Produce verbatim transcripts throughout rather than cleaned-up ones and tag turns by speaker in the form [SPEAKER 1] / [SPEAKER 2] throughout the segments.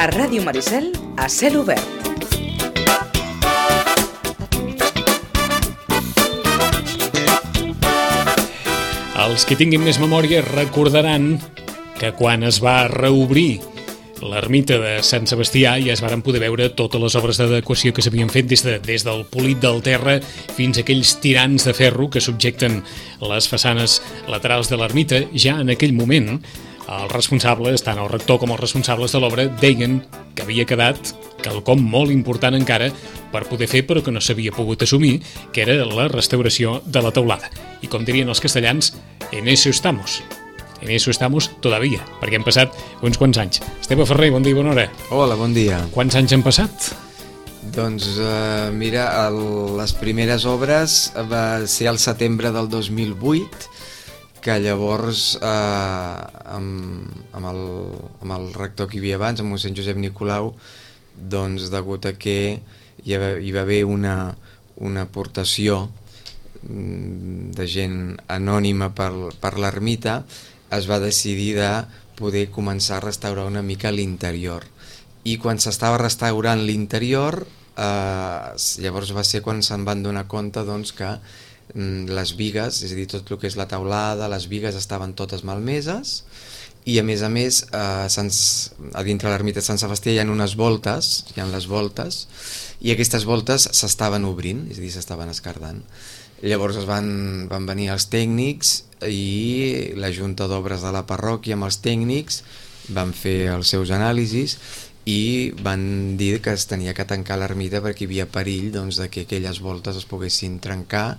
[SPEAKER 1] A Ràdio Maricel, a cel obert.
[SPEAKER 2] Els que tinguin més memòria recordaran que quan es va reobrir l'ermita de Sant Sebastià ja es varen poder veure totes les obres d'adequació que s'havien fet des, de, des del polit del terra fins a aquells tirants de ferro que subjecten les façanes laterals de l'ermita. Ja en aquell moment els responsables, tant el rector com els responsables de l'obra, deien que havia quedat quelcom molt important encara per poder fer però que no s'havia pogut assumir, que era la restauració de la teulada. I com dirien els castellans, en eso estamos. En eso estamos todavía, perquè han passat uns quants anys. Esteve Ferrer, bon dia i bona hora.
[SPEAKER 3] Hola, bon dia.
[SPEAKER 2] Quants anys han passat?
[SPEAKER 3] Doncs uh, mira, el, les primeres obres va ser al setembre del dos mil vuit, que llavors eh, amb, amb, el, amb el rector que hi havia abans, amb mossèn Josep Nicolau, doncs degut a que hi va, hi va haver una, una aportació de gent anònima per, per l'ermita, es va decidir de poder començar a restaurar una mica l'interior. I quan s'estava restaurant l'interior, eh, llavors va ser quan se'n van donar compte doncs, que les bigues, és a dir, tot el que és la teulada, les bigues estaven totes malmeses i a més a més eh, a dintre l'ermita de Sant Sebastià hi ha unes voltes, hi ha les voltes i aquestes voltes s'estaven obrint, és a dir, s'estaven escardant. Llavors es van, van venir els tècnics i la Junta d'Obres de la parròquia amb els tècnics van fer els seus anàlisis i van dir que es tenia que tancar l'ermita perquè hi havia perill doncs, de que aquelles voltes es poguessin trencar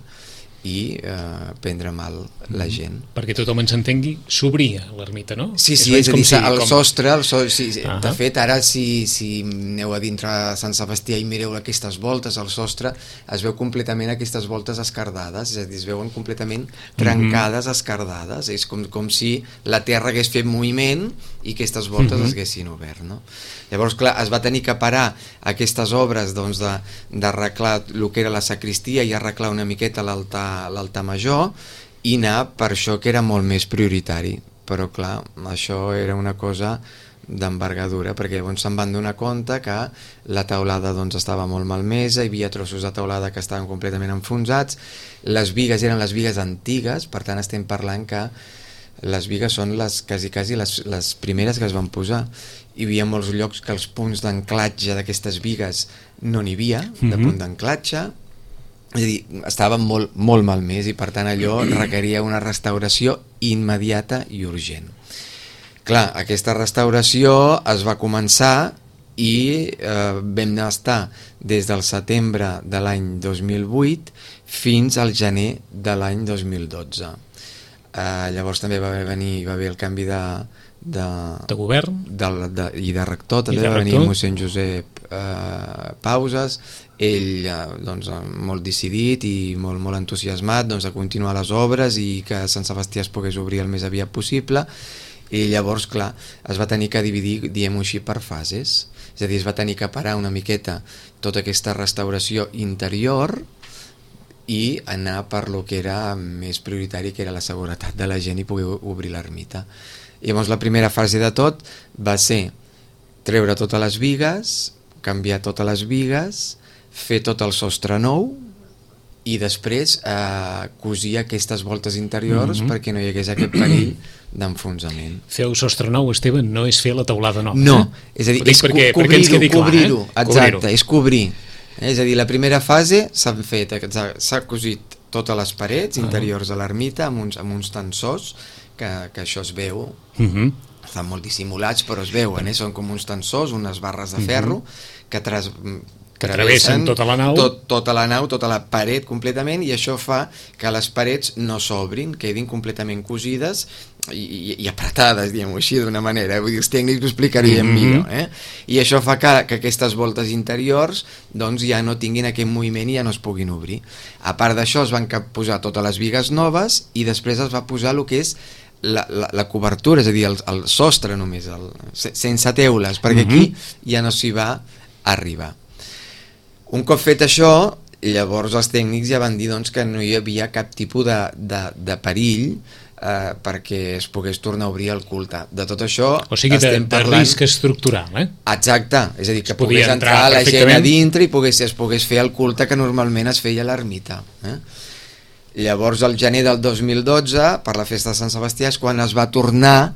[SPEAKER 3] i eh, prendre mal la gent.
[SPEAKER 2] Mm, perquè tothom ens entengui, s'obria l'ermita, no?
[SPEAKER 3] Sí, sí, és, és a dir, si, el com... sostre, el so... sí, uh-huh. De fet, ara si, si aneu a dintre Sant Sebastià i mireu aquestes voltes, el sostre, es veu completament aquestes voltes escardades, és a dir, es veuen completament trencades, uh-huh. escardades, és com, com si la terra hagués fet moviment i aquestes voltes uh-huh. es haguessin obert, no? Llavors, clar, es va tenir que parar aquestes obres doncs, d'arreglar el que era la sacristia i arreglar una miqueta l'altar l'altar major i anar per això que era molt més prioritari, però clar, això era una cosa d'envergadura, perquè llavors se'n van donar compte que la teulada doncs, estava molt malmesa, hi havia trossos de teulada que estaven completament enfonsats, les bigues eren les bigues antigues, per tant estem parlant que les bigues són les, quasi, quasi les, les primeres que es van posar. Hi havia molts llocs que els punts d'anclatge d'aquestes bigues no n'hi havia, mm-hmm. de punt d'anclatge, és a dir, estava molt, molt malmès i per tant allò requeria una restauració immediata i urgent. Clar, aquesta restauració es va començar i eh, vam estar des del setembre de l'any dos mil vuit fins al gener de l'any dos mil dotze. Eh, llavors també va venir, va haver el canvi de, de,
[SPEAKER 2] de govern
[SPEAKER 3] de, de, i de rector, també de va venir mossèn Josep eh, Pauses, ell eh, doncs, molt decidit i molt, molt entusiasmat doncs, de continuar les obres i que Sant Sebastià es pogués obrir el més aviat possible, i llavors clar, es va tenir que dividir, diem-ho així, per fases, és a dir, es va tenir que parar una miqueta tota aquesta restauració interior i anar per lo que era més prioritari, que era la seguretat de la gent i poder obrir l'ermita. Llavors la primera fase de tot va ser treure totes les bigues, canviar totes les bigues, fer tot el sostre nou i després eh, cosir aquestes voltes interiors mm-hmm. perquè no hi hagués aquest perill d'enfonsament.
[SPEAKER 2] Fer el sostre nou, Esteve, no és fer la teulada nova.
[SPEAKER 3] No, eh? És a dir, és
[SPEAKER 2] perquè,
[SPEAKER 3] co cobrir-ho,
[SPEAKER 2] perquè
[SPEAKER 3] cobrir-ho,
[SPEAKER 2] eh?
[SPEAKER 3] exacte, cobrir és cobrir. És a dir, la primera fase s'han fet, s'ha cosit totes les parets interiors de l'ermita amb uns, amb uns tensors que, que això es veu, uh-huh. estan molt dissimulats però es veuen, eh? Són com uns tensors, unes barres de ferro uh-huh. que, tras,
[SPEAKER 2] que travessen tota la nau
[SPEAKER 3] tot, tota la nau, tota la paret completament, i això fa que les parets no s'obrin, quedin completament cosides i, i, i apretades, diguem-ho així d'una manera, vull dir, els tècnics ho explicarien mm-hmm. millor, eh? I això fa que, que aquestes voltes interiors doncs ja no tinguin aquest moviment i ja no es puguin obrir. A part d'això es van posar totes les bigues noves i després es va posar el que és la, la, la cobertura, és a dir, el, el sostre només, el, sense teules, perquè mm-hmm. aquí ja no s'hi va arribar. Un cop fet això, llavors els tècnics ja van dir doncs, que no hi havia cap tipus de, de, de perill eh, perquè es pogués tornar a obrir el culte. De tot això
[SPEAKER 2] o sigui, de,
[SPEAKER 3] estem parlant...
[SPEAKER 2] de risc estructural, eh?
[SPEAKER 3] Exacte, és a dir, que
[SPEAKER 2] es
[SPEAKER 3] pogués entrar, entrar la gent a dintre i pogués, es pogués fer el culte que normalment es feia a l'ermita. Eh? Llavors, al gener del dos mil dotze, per la festa de Sant Sebastià, és quan es va tornar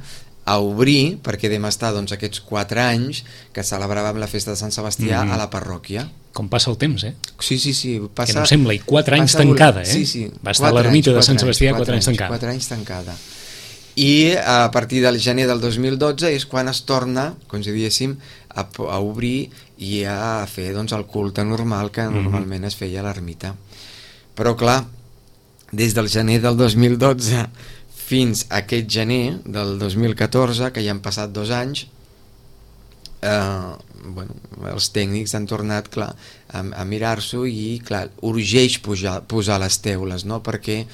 [SPEAKER 3] a obrir, perquè vam estar doncs, aquests quatre anys que celebràvem la festa de Sant Sebastià mm-hmm. a la parròquia.
[SPEAKER 2] Com passa el temps, eh?
[SPEAKER 3] Sí, sí, sí. Passa,
[SPEAKER 2] que no sembla, i quatre anys tancada, eh?
[SPEAKER 3] Sí, sí.
[SPEAKER 2] Va estar a l'ermita de Sant Sebastià quatre, quatre anys tancada.
[SPEAKER 3] Quatre anys tancada. I a partir del gener del dos mil dotze és quan es torna, com si diguéssim, a, a obrir i a fer doncs, el culte normal que mm-hmm. normalment es feia a l'ermita. Però clar, des del gener del dos mil dotze fins a aquest gener del dos mil catorze, que ja han passat dos anys, eh, bueno, els tècnics han tornat, clar, a, a mirar-s'ho i, clar, urgeix pujar, posar les teules, no?, perquè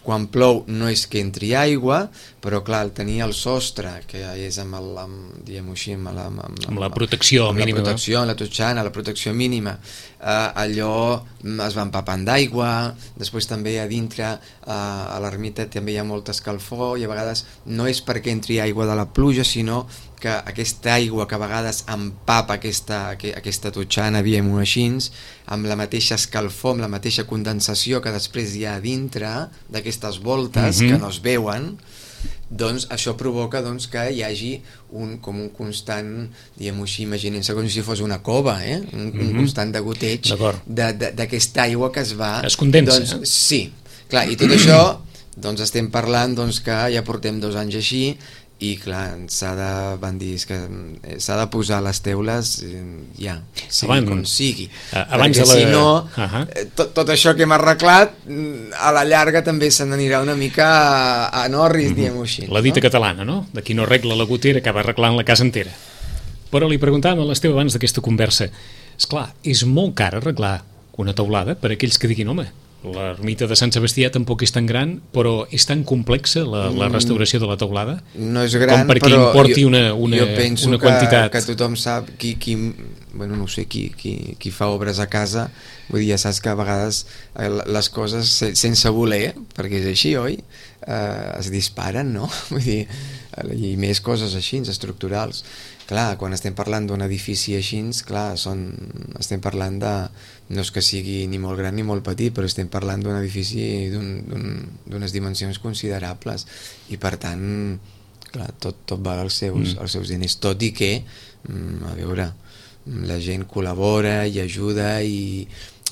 [SPEAKER 3] quan plou no és que entri aigua, però clar, el tenir el sostre, que és amb, el, amb diguem-ho així, amb la, amb, amb,
[SPEAKER 2] amb la protecció
[SPEAKER 3] amb
[SPEAKER 2] mínima.
[SPEAKER 3] La protecció, la totxana, la protecció mínima, eh, allò es va empapant d'aigua, després també a dintre, eh, a l'ermita també hi ha molta escalfor, i a vegades no és perquè entri aigua de la pluja, sinó que aquesta aigua que a vegades empapa aquesta, aquesta totxana, diguem-ho així, amb la mateixa escalfor, amb la mateixa condensació que després hi ha a dintre d'aquestes voltes mm-hmm. que no es veuen, doncs això provoca doncs, que hi hagi un, com un constant, diguem-ho així, imaginem-se com si fos una cova, eh? un, mm-hmm. un constant degoteig d'aquesta aigua que es va...
[SPEAKER 2] Es condensa.
[SPEAKER 3] Doncs, eh? Sí, clar, i tot això doncs estem parlant doncs, que ja portem dos anys així, i clar, s'ha de, van dir, que s'ha de posar les teules ja, sigui abans, com sigui,
[SPEAKER 2] abans
[SPEAKER 3] perquè
[SPEAKER 2] de la...
[SPEAKER 3] si no
[SPEAKER 2] uh-huh.
[SPEAKER 3] tot, tot això que hem arreglat a la llarga també se n'anirà una mica a, a Norris, uh-huh. diguem-ho així,
[SPEAKER 2] la dita
[SPEAKER 3] no?
[SPEAKER 2] catalana, no? De qui no arregla la gotera acaba arreglant la casa entera. Però li preguntàvem a l'Esteve abans d'aquesta conversa, esclar, és molt car arreglar una teulada per a aquells que diguin, home, l'ermita de Sant Sebastià tampoc és tan gran, però és tan complexa la, la restauració de la teulada?
[SPEAKER 3] No és gran,
[SPEAKER 2] com perquè
[SPEAKER 3] però
[SPEAKER 2] importi
[SPEAKER 3] jo,
[SPEAKER 2] una, una,
[SPEAKER 3] jo penso
[SPEAKER 2] una
[SPEAKER 3] que,
[SPEAKER 2] quantitat.
[SPEAKER 3] que tothom sap, qui, qui, bueno, no sé, qui, qui, qui fa obres a casa, vull dir, ja saps que a vegades les coses sense voler, perquè és així, oi? Eh, es disparen, no? Vull dir, i més coses així, estructurals. Clar, quan estem parlant d'un edifici així, clar, són, estem parlant de, no és que sigui ni molt gran ni molt petit, però estem parlant d'un edifici d'unes dimensions considerables, i per tant, clar, tot, tot val els seus, mm. els seus diners, tot i que, a veure, la gent col·labora i ajuda i,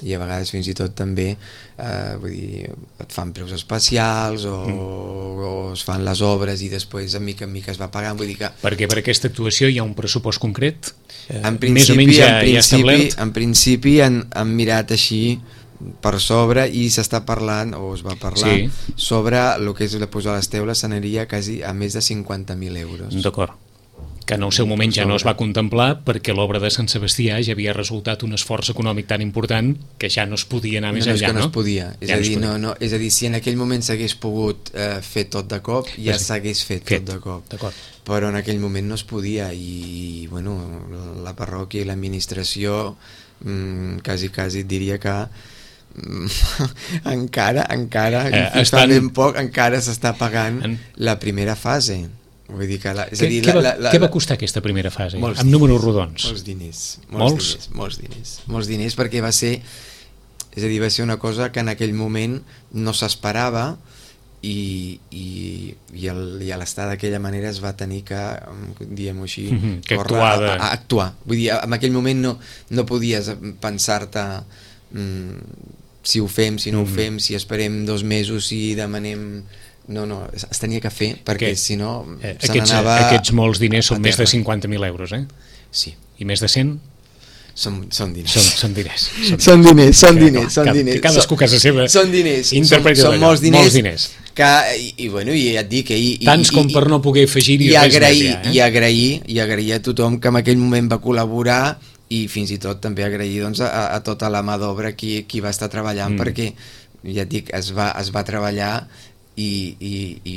[SPEAKER 3] i a vegades fins i tot també eh, vull dir, et fan preus especials o, mm. o es fan les obres i després de mica en mica es va pagant, vull dir que...
[SPEAKER 2] Perquè per aquesta actuació hi ha un pressupost concret? Eh,
[SPEAKER 3] en principi,
[SPEAKER 2] més o menys ja,
[SPEAKER 3] en principi,
[SPEAKER 2] ja establert?
[SPEAKER 3] En principi han, han mirat així per sobre i s'està parlant, o es va parlar, sí. sobre el que és la posar les teules, s'aniria quasi a més de cinquanta mil euros.
[SPEAKER 2] D'acord. Que en el seu moment ja no es va contemplar perquè l'obra de Sant Sebastià ja havia resultat un esforç econòmic tan important que ja no es podia anar més
[SPEAKER 3] no, no,
[SPEAKER 2] enllà,
[SPEAKER 3] no?
[SPEAKER 2] no
[SPEAKER 3] es podia. És, ja a dir, no, no, és a dir, si en aquell moment s'hagués pogut eh, fer tot de cop, ja s'hagués fet, fet tot de cop. Però en aquell moment no es podia i, bueno, la parròquia i l'administració mmm, quasi, quasi diria que encara, encara, eh, estan... fa ben poc, encara s'està pagant en... la primera fase. Vull dir que la, és
[SPEAKER 2] què,
[SPEAKER 3] a dir,
[SPEAKER 2] què,
[SPEAKER 3] la,
[SPEAKER 2] va,
[SPEAKER 3] la, la,
[SPEAKER 2] què va costar aquesta primera fase?
[SPEAKER 3] Molts
[SPEAKER 2] amb
[SPEAKER 3] diners,
[SPEAKER 2] números rodons?
[SPEAKER 3] Molts diners. Molts,
[SPEAKER 2] molts?
[SPEAKER 3] diners. Molts diners. Molts diners perquè va ser, és a dir, va ser una cosa que en aquell moment no s'esperava i, i, i, el, i a l'estar d'aquella manera es va tenir que, diguem-ho així,
[SPEAKER 2] mm-hmm, que
[SPEAKER 3] córrer
[SPEAKER 2] actuar,
[SPEAKER 3] de... a, a actuar. Vull dir, en aquell moment no, no podies pensar-te mm, si ho fem, si no mm-hmm. ho fem, si esperem dos mesos, si demanem... No, no, es tenia que fer, perquè que, si no
[SPEAKER 2] eh, se n'anava... Aquests molts diners són més de cinquanta mil euros, eh?
[SPEAKER 3] Sí.
[SPEAKER 2] I més de cent?
[SPEAKER 3] Són, són diners.
[SPEAKER 2] Són, són diners. Són,
[SPEAKER 3] són diners, són
[SPEAKER 2] que,
[SPEAKER 3] diners, són
[SPEAKER 2] que,
[SPEAKER 3] diners.
[SPEAKER 2] Que cadascú casa seva
[SPEAKER 3] són diners,
[SPEAKER 2] interpreta
[SPEAKER 3] són, són molts diners,
[SPEAKER 2] molts diners.
[SPEAKER 3] Que, i, i, bueno, i et dic... I,
[SPEAKER 2] Tants
[SPEAKER 3] i,
[SPEAKER 2] com per no poder afegir-hi
[SPEAKER 3] i
[SPEAKER 2] res
[SPEAKER 3] agrair,
[SPEAKER 2] més, ja, eh?
[SPEAKER 3] I agrair, i agrair a tothom que en aquell moment va col·laborar i fins i tot també agrair doncs, a, a tota la mà d'obra qui, qui va estar treballant, mm. perquè, ja et dic, es va, es va treballar i, i, i,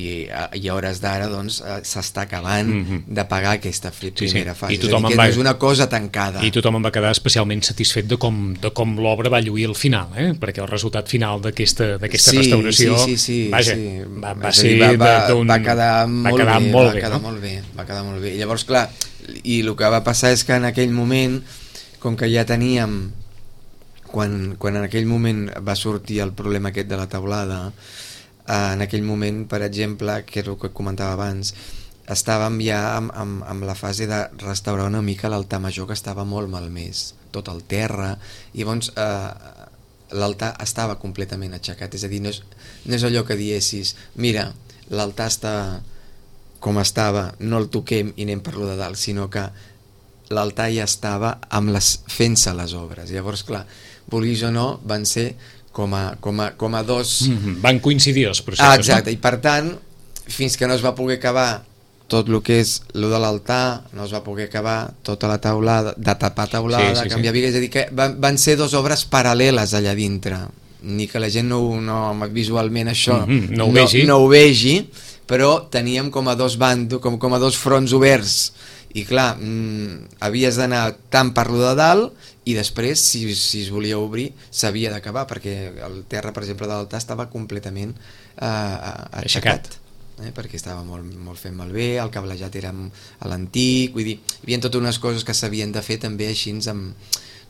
[SPEAKER 3] i a hores d'ara doncs, s'està acabant mm-hmm. de pagar aquesta primera sí, sí. fase. I tothom és dir, que va... no és una cosa tancada.
[SPEAKER 2] I tothom en va quedar especialment satisfet de com, de com l'obra va lluir al final, eh? Perquè el resultat final d'aquesta sí, restauració
[SPEAKER 3] sí, sí, sí,
[SPEAKER 2] vaja,
[SPEAKER 3] sí.
[SPEAKER 2] va, va ser
[SPEAKER 3] va, va,
[SPEAKER 2] d'un...
[SPEAKER 3] va quedar molt
[SPEAKER 2] va quedar
[SPEAKER 3] bé,
[SPEAKER 2] molt
[SPEAKER 3] va
[SPEAKER 2] bé,
[SPEAKER 3] quedar
[SPEAKER 2] no?
[SPEAKER 3] molt bé, va quedar molt bé. I llavors, clar, i el que va passar és que en aquell moment, com que ja teníem, quan, quan en aquell moment va sortir el problema aquest de la teulada, en aquell moment, per exemple, que és el que comentava abans, estàvem ja amb, amb, amb la fase de restaurar una mica l'altar major, que estava molt malmès, tot el terra, i llavors eh, l'altar estava completament aixecat, és a dir, no és, no és allò que diessis, mira, l'altar està com estava, no el toquem i anem per lo de dalt, sinó que l'altar ja estava amb les, fent-se les obres. Llavors, clar, vulguis o no, van ser com a, com a, com a dos...
[SPEAKER 2] Mm-hmm. Van coincidir els processos,
[SPEAKER 3] ah, exacte,
[SPEAKER 2] no?
[SPEAKER 3] I per tant, fins que no es va poder acabar tot el que és lo de l'altar, no es va poder acabar tota la taulada, de tapar taulada, sí, sí, canviar sí. Bigues, és a dir, que van, van ser dues obres paral·leles allà dintre, ni que la gent no, no visualment això
[SPEAKER 2] mm-hmm. no, ho
[SPEAKER 3] no,
[SPEAKER 2] vegi.
[SPEAKER 3] no ho vegi, però teníem com a dos bandos, com, com a dos fronts oberts, i clar, mmm, havies d'anar tant per lo de dalt, i després, si, si es volia obrir, s'havia d'acabar, perquè el terra, per exemple, de l'altar estava completament eh, aixecat, eh, perquè estava molt, molt fet malbé, el cablejat era a l'antic, vull dir, hi havia totes unes coses que s'havien de fer també així, amb,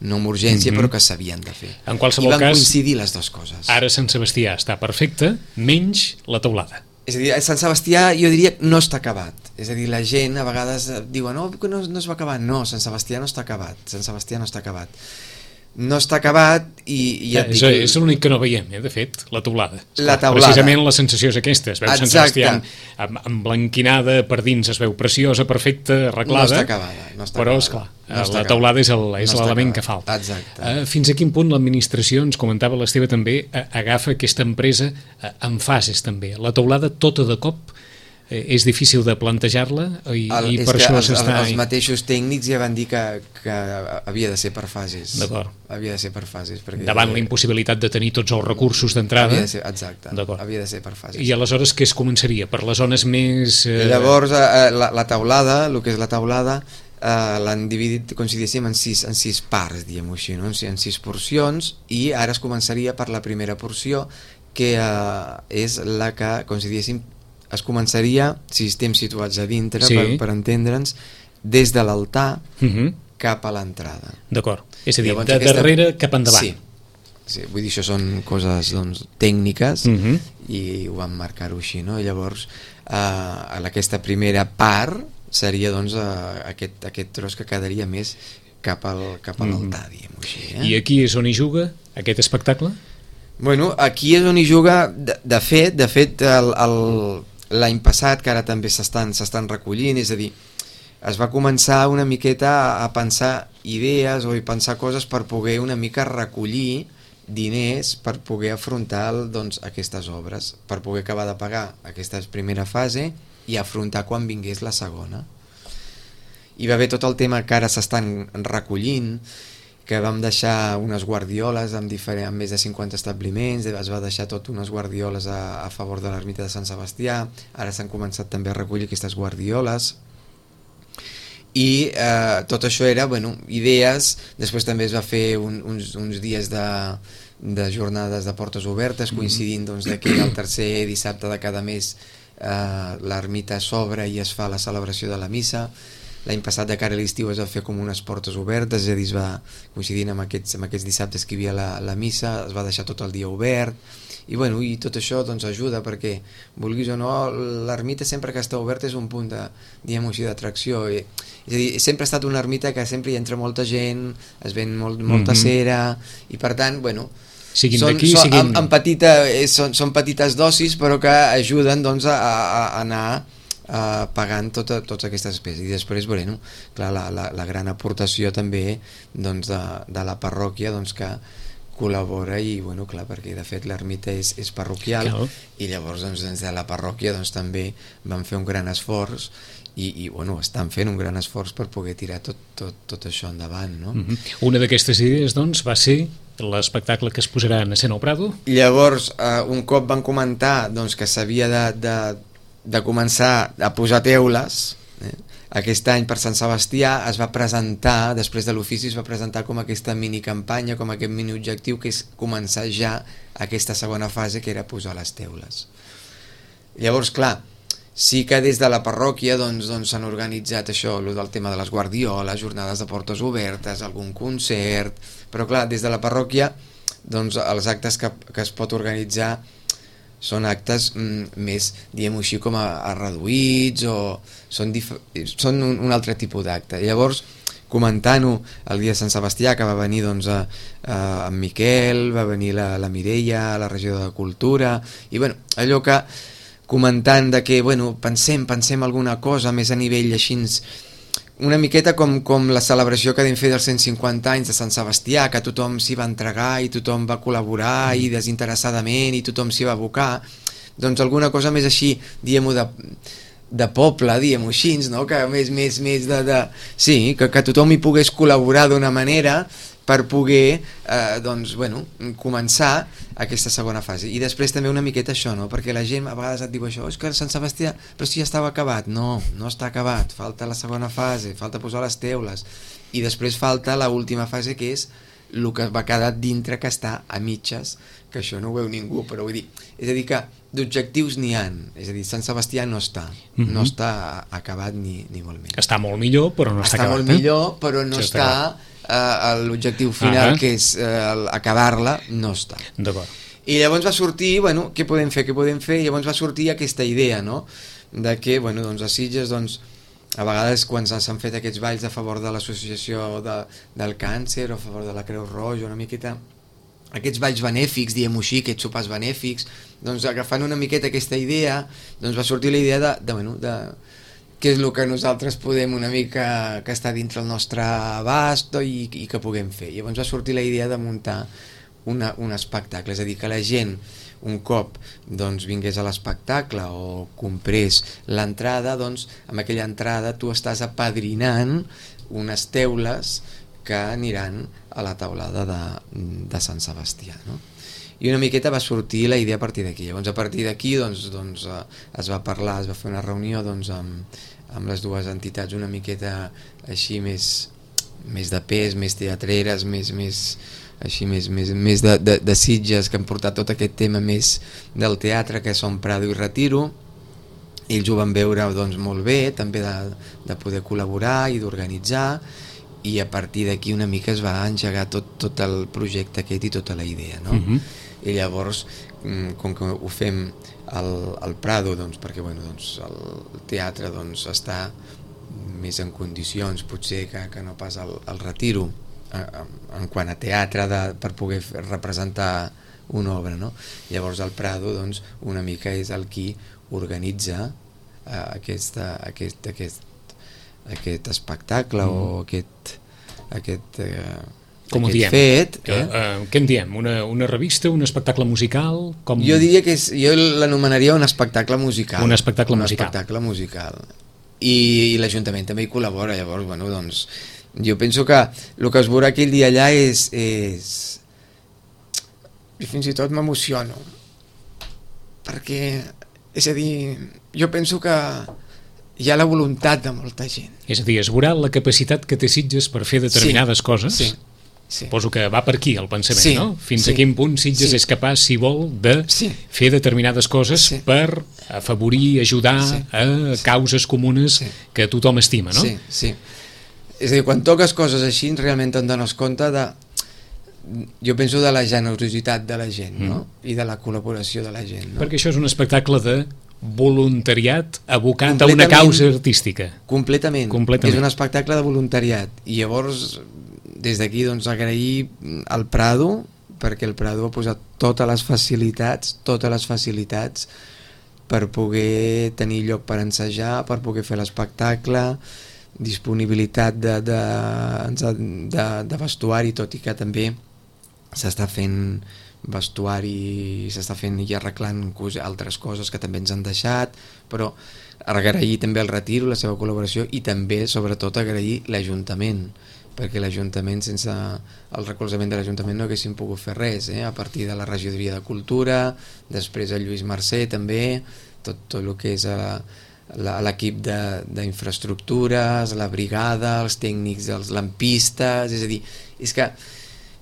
[SPEAKER 3] no amb urgència, mm-hmm. però que s'havien de fer.
[SPEAKER 2] En qualsevol
[SPEAKER 3] I van
[SPEAKER 2] cas,
[SPEAKER 3] coincidir les dues coses.
[SPEAKER 2] Ara Sant Sebastià està perfecte, menys la teulada.
[SPEAKER 3] És a dir, a Sant Sebastià jo diria que no està acabat. És a dir, la gent a vegades diu no, que no, no es va acabar. No, Sant Sebastià no està acabat. Sant Sebastià no està acabat. No està acabat i... i ja
[SPEAKER 2] eh, és
[SPEAKER 3] dic,
[SPEAKER 2] és l'únic que no veiem, eh, de fet, la teulada.
[SPEAKER 3] La teulada.
[SPEAKER 2] Precisament la sensació és aquesta. Es veu
[SPEAKER 3] Exacte.
[SPEAKER 2] Sant Sebastià emblanquinada per dins, es veu preciosa, perfecta, arreglada.
[SPEAKER 3] No està acabada. No està
[SPEAKER 2] però,
[SPEAKER 3] acabada.
[SPEAKER 2] esclar,
[SPEAKER 3] no
[SPEAKER 2] la teulada és l'element
[SPEAKER 3] no
[SPEAKER 2] que falta.
[SPEAKER 3] Exacte.
[SPEAKER 2] Uh, fins a quin punt l'administració, ens comentava l'Esteve també, uh, agafa aquesta empresa uh, en fases també. La teulada tota de cop eh, és difícil de plantejar-la i,
[SPEAKER 3] el,
[SPEAKER 2] i per això s'està...
[SPEAKER 3] Els mateixos tècnics ja van dir que, que havia de ser per fases.
[SPEAKER 2] D'acord.
[SPEAKER 3] Havia de ser per fases. Perquè
[SPEAKER 2] davant la impossibilitat de tenir tots els recursos d'entrada.
[SPEAKER 3] Havia de ser, exacte. Havia de ser per fases.
[SPEAKER 2] I aleshores què es començaria? Per les zones més... Eh...
[SPEAKER 3] Llavors, eh, la, la teulada, el que és la teulada, Uh, l'han dividit, com si diguéssim, en sis, en sis parts, diguem-ho així, no? En sis porcions, i ara es començaria per la primera porció, que uh, és la que, com si diguéssim, es començaria, si estem situats a dintre, sí. per, per entendre'ns, des de l'altar uh-huh. cap a l'entrada.
[SPEAKER 2] D'acord, és a dir, llavors, de aquesta... darrere cap endavant.
[SPEAKER 3] Sí. Sí, vull dir, això són coses doncs, tècniques uh-huh. i ho vam marcar-ho així, no? I llavors, uh, aquesta primera part seria doncs uh, aquest, aquest tros que quedaria més cap, al, cap a l'altar, mm. diguem-ho així. Eh?
[SPEAKER 2] I aquí és on hi juga aquest espectacle?
[SPEAKER 3] Bueno, aquí és on hi juga, de, de fet, de fet l'any passat, que ara també s'estan s'estan recollint, és a dir, es va començar una miqueta a pensar idees o a pensar coses per poder una mica recollir diners per poder afrontar doncs, aquestes obres, per poder acabar de pagar aquesta primera fase i afrontar quan vingués la segona. Hi va haver tot el tema que ara s'estan recollint, que vam deixar unes guardioles amb, diferent, amb més de cinquanta establiments, es va deixar tot unes guardioles a, a favor de l'ermita de Sant Sebastià, ara s'han començat també a recollir aquestes guardioles, i eh, tot això era, bueno, idees. Després també es va fer un, uns, uns dies de, de jornades de portes obertes, coincidint doncs, que el tercer dissabte de cada mes Uh, l'ermita s'obre i es fa la celebració de la missa. L'any passat, de cara a l'estiu, es va fer com unes portes obertes, és a dir, es va coincidint amb aquests, amb aquests dissabtes que hi havia la, la missa, es va deixar tot el dia obert, i, bueno, i tot això doncs, ajuda perquè, vulguis o no, l'ermita sempre que està oberta és un punt de, diguem-ho així, d'atracció. És a dir, sempre ha estat una ermita que sempre hi entra molta gent, es ven molt, molta mm-hmm. cera, i per tant, bueno,
[SPEAKER 2] siguin
[SPEAKER 3] són,
[SPEAKER 2] d'aquí,
[SPEAKER 3] són,
[SPEAKER 2] siguin...
[SPEAKER 3] en, en petita, són, són petites dosis, però que ajuden doncs, a, a anar a, pagant tota, totes aquestes despeses. I després, bueno, clar, la, la, la gran aportació també doncs, de, de la parròquia, doncs, que col·labora i, bueno, clar, perquè de fet l'ermita és, és parroquial,
[SPEAKER 2] Clar.
[SPEAKER 3] i llavors doncs, des de la parròquia doncs, també van fer un gran esforç i, i bueno, estan fent un gran esforç per poder tirar tot, tot, tot això endavant, no?
[SPEAKER 2] Mm-hmm. Una d'aquestes idees, doncs, va ser l'espectacle que es posarà en escena al Prado.
[SPEAKER 3] Llavors, eh, un cop van comentar doncs, que s'havia de, de, de començar a posar teules, eh? Aquest any per Sant Sebastià es va presentar, després de l'ofici es va presentar com aquesta minicampanya, com aquest mini objectiu, que és començar ja aquesta segona fase, que era posar les teules. Llavors, clar, sí que des de la parròquia doncs, doncs, s'han organitzat això, el del tema de les guardioles, jornades de portes obertes, algun concert, però clar, des de la parròquia doncs, els actes que, que es pot organitzar són actes mm, més, diguem-ho així, com a, a reduïts o són, són un, un altre tipus d'acte. Llavors, comentant-ho el dia de Sant Sebastià, que va venir doncs, a, a, en Miquel, va venir la, la Mireia, la regidora de Cultura, i bueno, allò que comentant de que, bueno, pensem, pensem alguna cosa més a nivell així, una miqueta com, com la celebració que vam fer dels cent cinquanta anys de Sant Sebastià, que tothom s'hi va entregar i tothom va col·laborar i desinteressadament i tothom s'hi va abocar, doncs alguna cosa més així, diguem-ho, de, de poble, diguem-ho així, no? Que més, més, més de, de... Sí, que, que tothom hi pogués col·laborar d'una manera per poder eh, doncs, bueno, començar aquesta segona fase. I després també una miqueta això, no? Perquè la gent a vegades et diu això, és que Sant Sebastià, però si ja estava acabat. No, no està acabat, falta la segona fase, falta posar les teules, i després falta la última fase, que és el que va quedar dintre, que està a mitges, que això no ho veu ningú, però vull dir, és a dir que d'objectius n'hi ha, és a dir, Sant Sebastià no està, mm-hmm. no està acabat ni, ni molt menys.
[SPEAKER 2] Està molt millor, però no està,
[SPEAKER 3] està
[SPEAKER 2] acabat.
[SPEAKER 3] Està molt millor, però no sí, està... està Uh, l'objectiu final, uh-huh. que és uh, acabar-la, no està.
[SPEAKER 2] D'acord.
[SPEAKER 3] I llavors va sortir, bueno, què podem fer, què podem fer? I llavors va sortir aquesta idea, no?, de que, bueno, doncs a Sitges, doncs, a vegades quan s'han fet aquests balls a favor de l'associació de, del càncer o a favor de la Creu Roja, una miqueta, aquests balls benèfics, diguem-ho així, aquests sopars benèfics, doncs agafant una miqueta aquesta idea, doncs va sortir la idea de, de bueno, de què és el que nosaltres podem una mica que està dintre el nostre abast i, i que puguem fer. Llavors va sortir la idea de muntar una, un espectacle, és a dir, que la gent un cop doncs, vingués a l'espectacle o comprés l'entrada, doncs amb aquella entrada tu estàs apadrinant unes teules que aniran a la taulada de, de Sant Sebastià, no? I una miqueta va sortir la idea a partir d'aquí. Llavors a partir d'aquí doncs, doncs, es va parlar, es va fer una reunió doncs, amb, amb les dues entitats una miqueta així més, més de pes, més teatreres, més, més, així, més, més, més de, de, de Sitges, que han portat tot aquest tema més del teatre, que són Prado i Retiro. Ells ho van veure doncs, molt bé, també de, de poder col·laborar i d'organitzar, i a partir d'aquí una mica es va engegar tot, tot el projecte aquest i tota la idea, no? Uh-huh. I llavors, com que ho fem al, al Prado, doncs, perquè bueno, doncs, el teatre doncs, està més en condicions potser que, que no pas al, al Retiro, en quant a teatre de, per poder representar una obra, no? Llavors el Prado doncs, una mica és el qui organitza eh, aquesta, aquest, aquest, aquest espectacle mm. o aquest, aquest eh,
[SPEAKER 2] com ho diem?
[SPEAKER 3] Fet,
[SPEAKER 2] que,
[SPEAKER 3] eh?
[SPEAKER 2] uh, què en diem? Una, una revista, un espectacle musical? Com...
[SPEAKER 3] Jo diria que és, jo l'anomenaria un espectacle musical.
[SPEAKER 2] Un espectacle
[SPEAKER 3] un
[SPEAKER 2] musical.
[SPEAKER 3] espectacle musical. I, i l'Ajuntament també hi col·labora, llavors, bueno, doncs, jo penso que el que es veurà aquell dia allà és... és... I fins i tot m'emociono. Perquè, és a dir, jo penso que hi ha la voluntat de molta gent.
[SPEAKER 2] És a dir, es veurà la capacitat que té Sitges per fer determinades
[SPEAKER 3] sí,
[SPEAKER 2] coses.
[SPEAKER 3] Sí. Sí.
[SPEAKER 2] Suposo que va per aquí el pensament,
[SPEAKER 3] sí,
[SPEAKER 2] no? Fins
[SPEAKER 3] sí,
[SPEAKER 2] a quin punt Sitges
[SPEAKER 3] sí.
[SPEAKER 2] és capaç, si vol, de
[SPEAKER 3] sí.
[SPEAKER 2] fer determinades coses sí. per afavorir, ajudar
[SPEAKER 3] sí.
[SPEAKER 2] a causes comunes sí. que tothom estima, no?
[SPEAKER 3] Sí, sí. És a dir, quan toques coses així, realment te'n dones compte de... Jo penso de la generositat de la gent, no? Mm. I de la col·laboració de la gent, no?
[SPEAKER 2] Perquè això és un espectacle de voluntariat abocat a una causa artística.
[SPEAKER 3] Completament.
[SPEAKER 2] Completament.
[SPEAKER 3] És un espectacle de voluntariat. I llavors... Des d'aquí doncs, agrair al Prado, perquè el Prado ha posat totes les facilitats, totes les facilitats per poder tenir lloc per ensejar, per poder fer l'espectacle, disponibilitat de, de, de, de vestuari, tot i que també s'està fent vestuari, s'està fent i arreglant altres coses que també ens han deixat, però agrair també el Retiro, la seva col·laboració, i també, sobretot, agrair l'Ajuntament, perquè l'Ajuntament, sense el recolzament de l'Ajuntament no haguéssim pogut fer res, eh? A partir de la Regidoria de Cultura, després el Lluís Mercè també, tot, tot el que és l'equip d'infraestructures, la brigada, els tècnics, els lampistes, és a dir, és que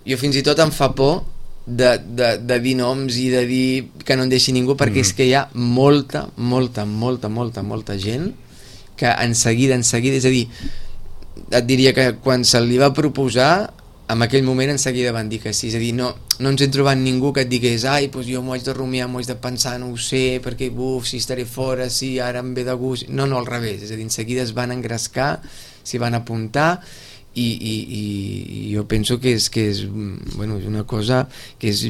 [SPEAKER 3] jo fins i tot em fa por de, de, de dir noms i de dir que no en deixi ningú, perquè mm. és que hi ha molta, molta, molta, molta, molta gent que en seguida, en seguida, és a dir, et diria que quan se li va proposar, en aquell moment en seguida van dir que sí, és a dir, no, no ens hem trobat ningú que et digués ai, doncs jo m'ho haig de rumiar, m'ho haig de pensar, no ho sé, perquè buf, si estaré fora, si ara em ve de gust, no, no, al revés, és a dir, en seguida es van engrescar, s'hi van apuntar, i, i, i jo penso que és, que és, bueno, és una cosa que és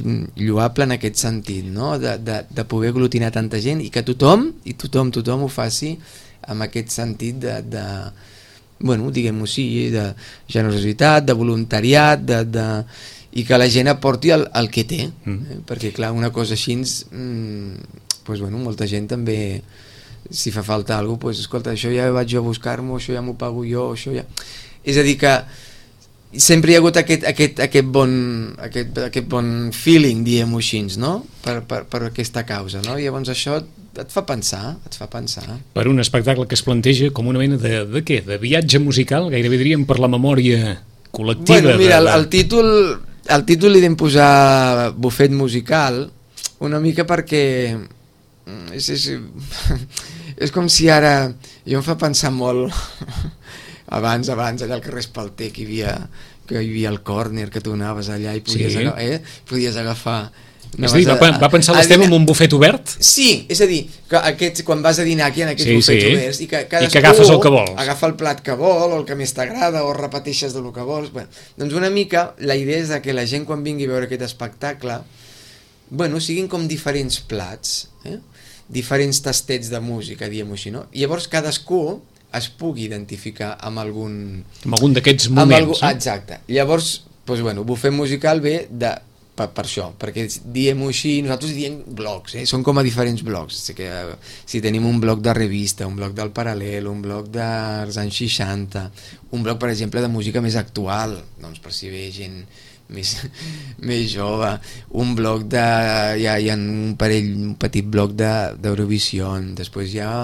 [SPEAKER 3] lloable en aquest sentit, no? de, de, de poder aglutinar tanta gent i que tothom, i tothom, tothom ho faci amb aquest sentit de, de bueno, diguem-ho així, de generositat, de voluntariat, de, de, i que la gent aporti el, el que té, mm. eh? Perquè clar, una cosa així mm, pues, bueno, molta gent també, si fa falta alguna cosa, pues, escolta, això ja vaig jo a buscar-m'ho, això ja m'ho pago jo, això ja... És a dir que sempre hi ha hagut aquest, aquest, aquest, bon, aquest, aquest bon feeling, diguem-ho així, no? Per, per, per aquesta causa, no? I llavors això et fa pensar, et fa pensar.
[SPEAKER 2] Per un espectacle que es planteja com una mena de, de què? De viatge musical? Gairebé diríem per la memòria col·lectiva.
[SPEAKER 3] Bueno, mira,
[SPEAKER 2] de, de...
[SPEAKER 3] el, el títol el títol li vam posar Bufet musical una mica perquè és, és, és com si ara jo em fa pensar molt abans, abans allà al carrer Espalter que hi havia, que hi havia el córner, que tu anaves allà i podies, sí. agafar, eh? podies agafar
[SPEAKER 2] és a dir, va, va pensar l'Esteve en un bufet obert?
[SPEAKER 3] Sí, és a dir, que aquests, quan vas a dinar aquí en aquests
[SPEAKER 2] sí,
[SPEAKER 3] bufets
[SPEAKER 2] sí.
[SPEAKER 3] oberts i que,
[SPEAKER 2] I que agafes el que vols,
[SPEAKER 3] agafa el plat que vol o el que més t'agrada o repeteixes del que vols, bueno, doncs una mica la idea és que la gent quan vingui a veure aquest espectacle, bueno, siguin com diferents plats, eh? diferents tastets de música, diguem-ho així, no? I llavors cadascú es pugui identificar amb algun...
[SPEAKER 2] amb algun d'aquests moments.
[SPEAKER 3] Algú, eh? Exacte. Llavors, doncs, bueno, bufet musical ve de... Per, per això, perquè diem-ho així, nosaltres diem blocs, eh? Són com a diferents blocs, o sigui que, si tenim un bloc de revista, un bloc del Paral·lel, un bloc dels anys seixanta, un bloc, per exemple, de música més actual, doncs per si ve gent més, més jove, un bloc de... Hi ha, hi ha un parell, un petit bloc d'Eurovisió, de, després hi ha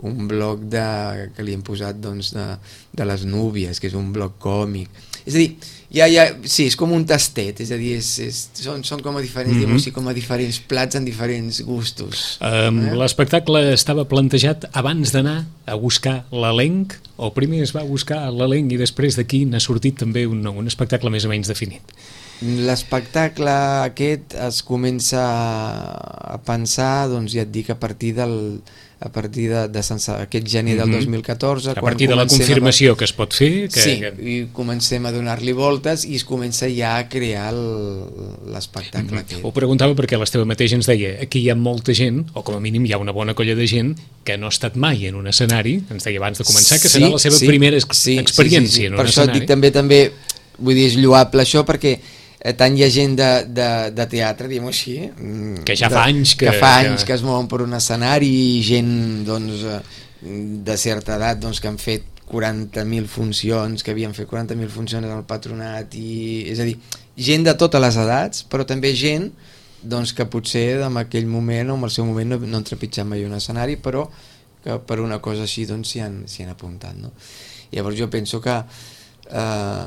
[SPEAKER 3] un bloc de, que li hem posat doncs, de, de les núvies, que és un bloc còmic, és a dir, ja, ja, sí, és com un tastet, és a dir, és, és, són, són com a diferents, mm-hmm. diguem-ho, com a diferents plats en diferents gustos.
[SPEAKER 2] Um, eh? L'espectacle estava plantejat abans d'anar a buscar l'elenc, o primer es va buscar l'elenc i després d'aquí n'ha sortit també un, un espectacle més o menys definit?
[SPEAKER 3] L'espectacle aquest es comença a pensar, doncs ja et dic, a partir del... a partir de, de sense, aquest gener del dos mil catorze,
[SPEAKER 2] a partir de la confirmació a... que es pot fer, que,
[SPEAKER 3] sí,
[SPEAKER 2] que...
[SPEAKER 3] i comencem a donar-li voltes i es comença ja a crear l'espectacle
[SPEAKER 2] mm-hmm. Ho preguntava perquè l'Esteve mateix ens deia aquí hi ha molta gent, o com a mínim hi ha una bona colla de gent que no ha estat mai en un escenari, ens deia abans de començar que serà sí, la seva sí, primera ex sí, experiència sí, sí, sí. en un
[SPEAKER 3] per
[SPEAKER 2] escenari.
[SPEAKER 3] Per això dic també, també vull dir, és lloable això perquè tant hi ha gent de, de, de teatre, diguem-ho així,
[SPEAKER 2] que ja fa
[SPEAKER 3] de,
[SPEAKER 2] anys que,
[SPEAKER 3] que fa anys que... que es mouen per un escenari, i gent doncs, de certa edat doncs, que han fet quaranta mil funcions, que havien fet quaranta mil funcions al Patronat, i, és a dir, gent de totes les edats, però també gent doncs, que potser en aquell moment o en el seu moment no, no han trepitjat mai un escenari, però que per una cosa així doncs, s'hi han, s'hi han apuntat, no? Llavors jo penso que eh,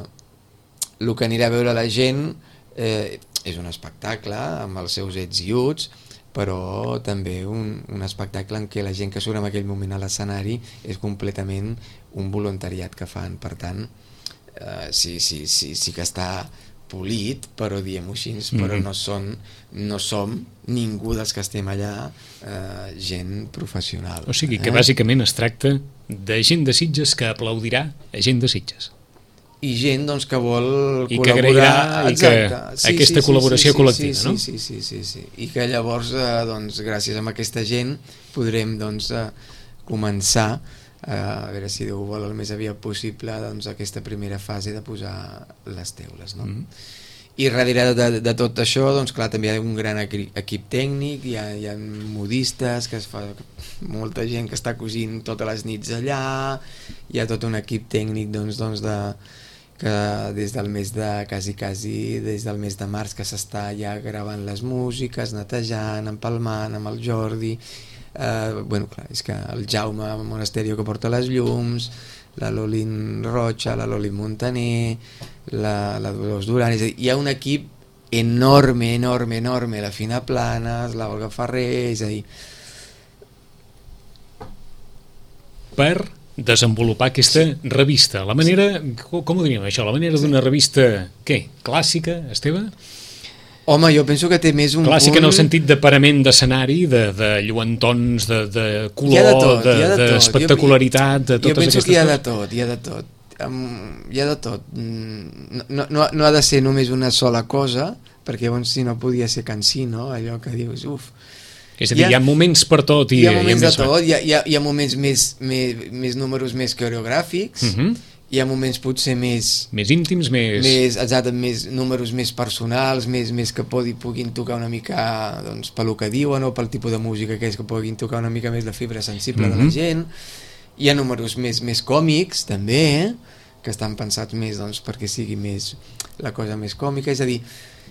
[SPEAKER 3] el que anirà a veure la gent eh, és un espectacle amb els seus ets i uts, però també un, un espectacle en què la gent que surt en aquell moment a l'escenari és completament un voluntariat que fan, per tant eh, sí, sí, sí, sí que està polit, però diem-ho així, mm-hmm. però no, són, no som ningú dels que estem allà eh, gent professional.
[SPEAKER 2] O sigui que eh? bàsicament es tracta de gent de Sitges que aplaudirà a gent de Sitges.
[SPEAKER 3] I gent doncs, que vol
[SPEAKER 2] I
[SPEAKER 3] col·laborar
[SPEAKER 2] que agrairà i que sí, aquesta sí, col·laboració
[SPEAKER 3] sí, sí,
[SPEAKER 2] col·lectiva,
[SPEAKER 3] sí,
[SPEAKER 2] no?
[SPEAKER 3] Sí, sí, sí, sí, sí. I que llavors, eh, doncs, gràcies a aquesta gent podrem doncs, eh, començar eh, a veure si Déu vol el més aviat possible doncs, aquesta primera fase de posar les teules, no? Mm-hmm. I darrere de, de tot això, doncs clar, també hi ha un gran equip tècnic, hi ha, hi ha modistes, que es fa molta gent que està cosint totes les nits allà, hi ha tot un equip tècnic doncs, doncs de, que des del mes de, quasi, quasi, des del mes de març que s'està ja gravant les músiques, netejant, empalmant amb el Jordi, eh, bueno, clar, és que el Jaume Monasterio que porta les llums, la Lolin Rocha, la Lolin Montaner, la, la Dolors Duran, és a dir, hi ha un equip enorme, enorme, enorme, la Fina Planes, la Olga Ferrer, és a dir...
[SPEAKER 2] Per desenvolupar aquesta revista, la manera, com ho diríem això, la manera d'una revista, què, clàssica, Esteve?
[SPEAKER 3] Home, jo penso que té més un
[SPEAKER 2] clàssica
[SPEAKER 3] punt...
[SPEAKER 2] en el sentit de parament d'escenari, de, de lluentons, de, de color, d'espectacularitat, de, de, de totes aquestes coses.
[SPEAKER 3] Jo penso que hi ha de tot, hi ha de tot. Um, hi ha de tot. No, no, no ha de ser només una sola cosa, perquè llavors si no podia ser cansino, allò que dius, uf...
[SPEAKER 2] És a dir, hi ha, hi ha moments per tot. I,
[SPEAKER 3] hi ha moments
[SPEAKER 2] i
[SPEAKER 3] de tot, hi ha, hi ha, hi ha moments més, més, més números més coreogràfics, uh-huh. Hi ha moments potser més...
[SPEAKER 2] Més íntims, més...
[SPEAKER 3] més exacte, més números més personals, més, més que podi, puguin tocar una mica doncs, pel que diuen o pel tipus de música que és, que puguin tocar una mica més la fibra sensible uh-huh. de la gent. Hi ha números més, més còmics, també, eh? Que estan pensats més doncs, perquè sigui més la cosa més còmica, és a dir...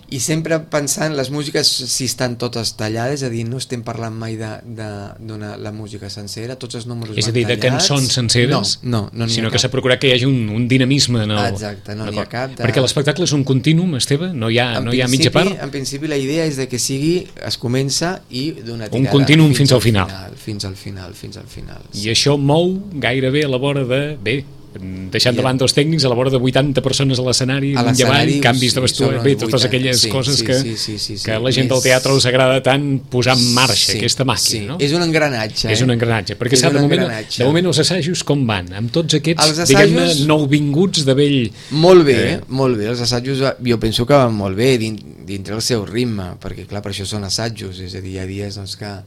[SPEAKER 3] I sempre pensant, les músiques si estan totes tallades, és a dir, no estem parlant mai de, de, d'una, la música sencera, tots els números
[SPEAKER 2] és a dir, de
[SPEAKER 3] tallats.
[SPEAKER 2] Cançons senceres,
[SPEAKER 3] no, no, no
[SPEAKER 2] sinó que s'ha procurat que hi hagi un, un dinamisme en el...
[SPEAKER 3] Exacte, no n'hi ha cap de...
[SPEAKER 2] Perquè l'espectacle és un continuum, Esteve? No hi ha, no hi ha mitja part?
[SPEAKER 3] En principi la idea és de que sigui, es comença i d'una tirada...
[SPEAKER 2] Un continuum fins,
[SPEAKER 3] fins
[SPEAKER 2] al final.
[SPEAKER 3] final. Fins al final, fins al final.
[SPEAKER 2] I
[SPEAKER 3] sí.
[SPEAKER 2] això mou gairebé a la vora de... Bé, deixant de banda els tècnics, a la vora de vuitanta persones a l'escenari, un avall, canvis de vestuari, bé, totes aquelles sí, coses sí, que, sí, sí, sí, sí, que a la gent més... del teatre us agrada tant posar en marxa, sí, aquesta màquina, sí. No?
[SPEAKER 3] És un engranatge.
[SPEAKER 2] És un engranatge, perquè sap, de, moment, de moment els assajos com van? Amb tots aquests, assajos... diguem-ne, nouvinguts de vell...
[SPEAKER 3] Molt bé, eh? molt bé, els assajos jo penso que van molt bé dintre el seu ritme, perquè clar, per això són assajos, és a dir, hi ha dies doncs, que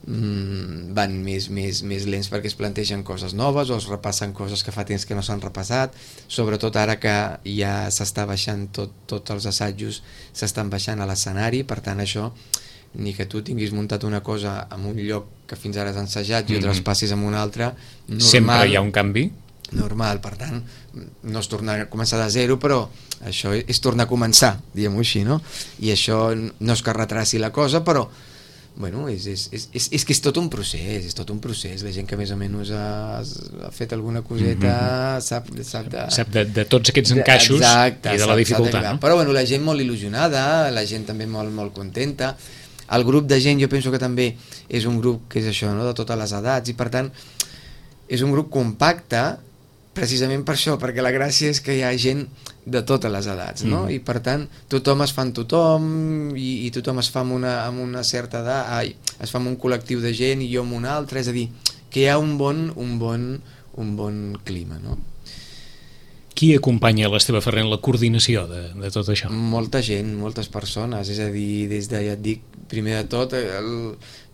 [SPEAKER 3] Mm, van més, més, més lents perquè es plantegen coses noves o es repassen coses que fa temps que no s'han repassat, sobretot ara que ja s'està baixant tot, tots els assajos s'estan baixant a l'escenari, per tant això ni que tu tinguis muntat una cosa en un lloc que fins ara has ensajat i ho traspassis en un altre, normal,
[SPEAKER 2] sempre hi ha un canvi
[SPEAKER 3] normal, per tant no es torna a començar de zero, però això és tornar a començar, diguem-ho així, no? I això no és que retraci la cosa, però bueno, és, és, és, és, és que és tot un procés, és tot un procés. La gent que més o menys ha, ha fet alguna coseta mm-hmm. sap, sap, de,
[SPEAKER 2] sap de, de tots aquests encaixos exacte, i de la dificultat.
[SPEAKER 3] No? Però bueno, la gent molt il·lusionada, la gent també molt, molt contenta. El grup de gent jo penso que també és un grup que és això, no? De totes les edats, i per tant és un grup compacte precisament per això, perquè la gràcia és que hi ha gent de totes les edats, no? Mm. I per tant tothom es fa amb tothom i, i tothom es fa amb una, amb una certa edat, ai, es fa amb un col·lectiu de gent i jo amb un altre, és a dir, que hi ha un bon, un bon, un bon clima, no?
[SPEAKER 2] Qui acompanya l'Esteve Ferrer en la coordinació de, de tot això?
[SPEAKER 3] Molta gent, moltes persones, és a dir, des de, ja et dic, primer de tot el,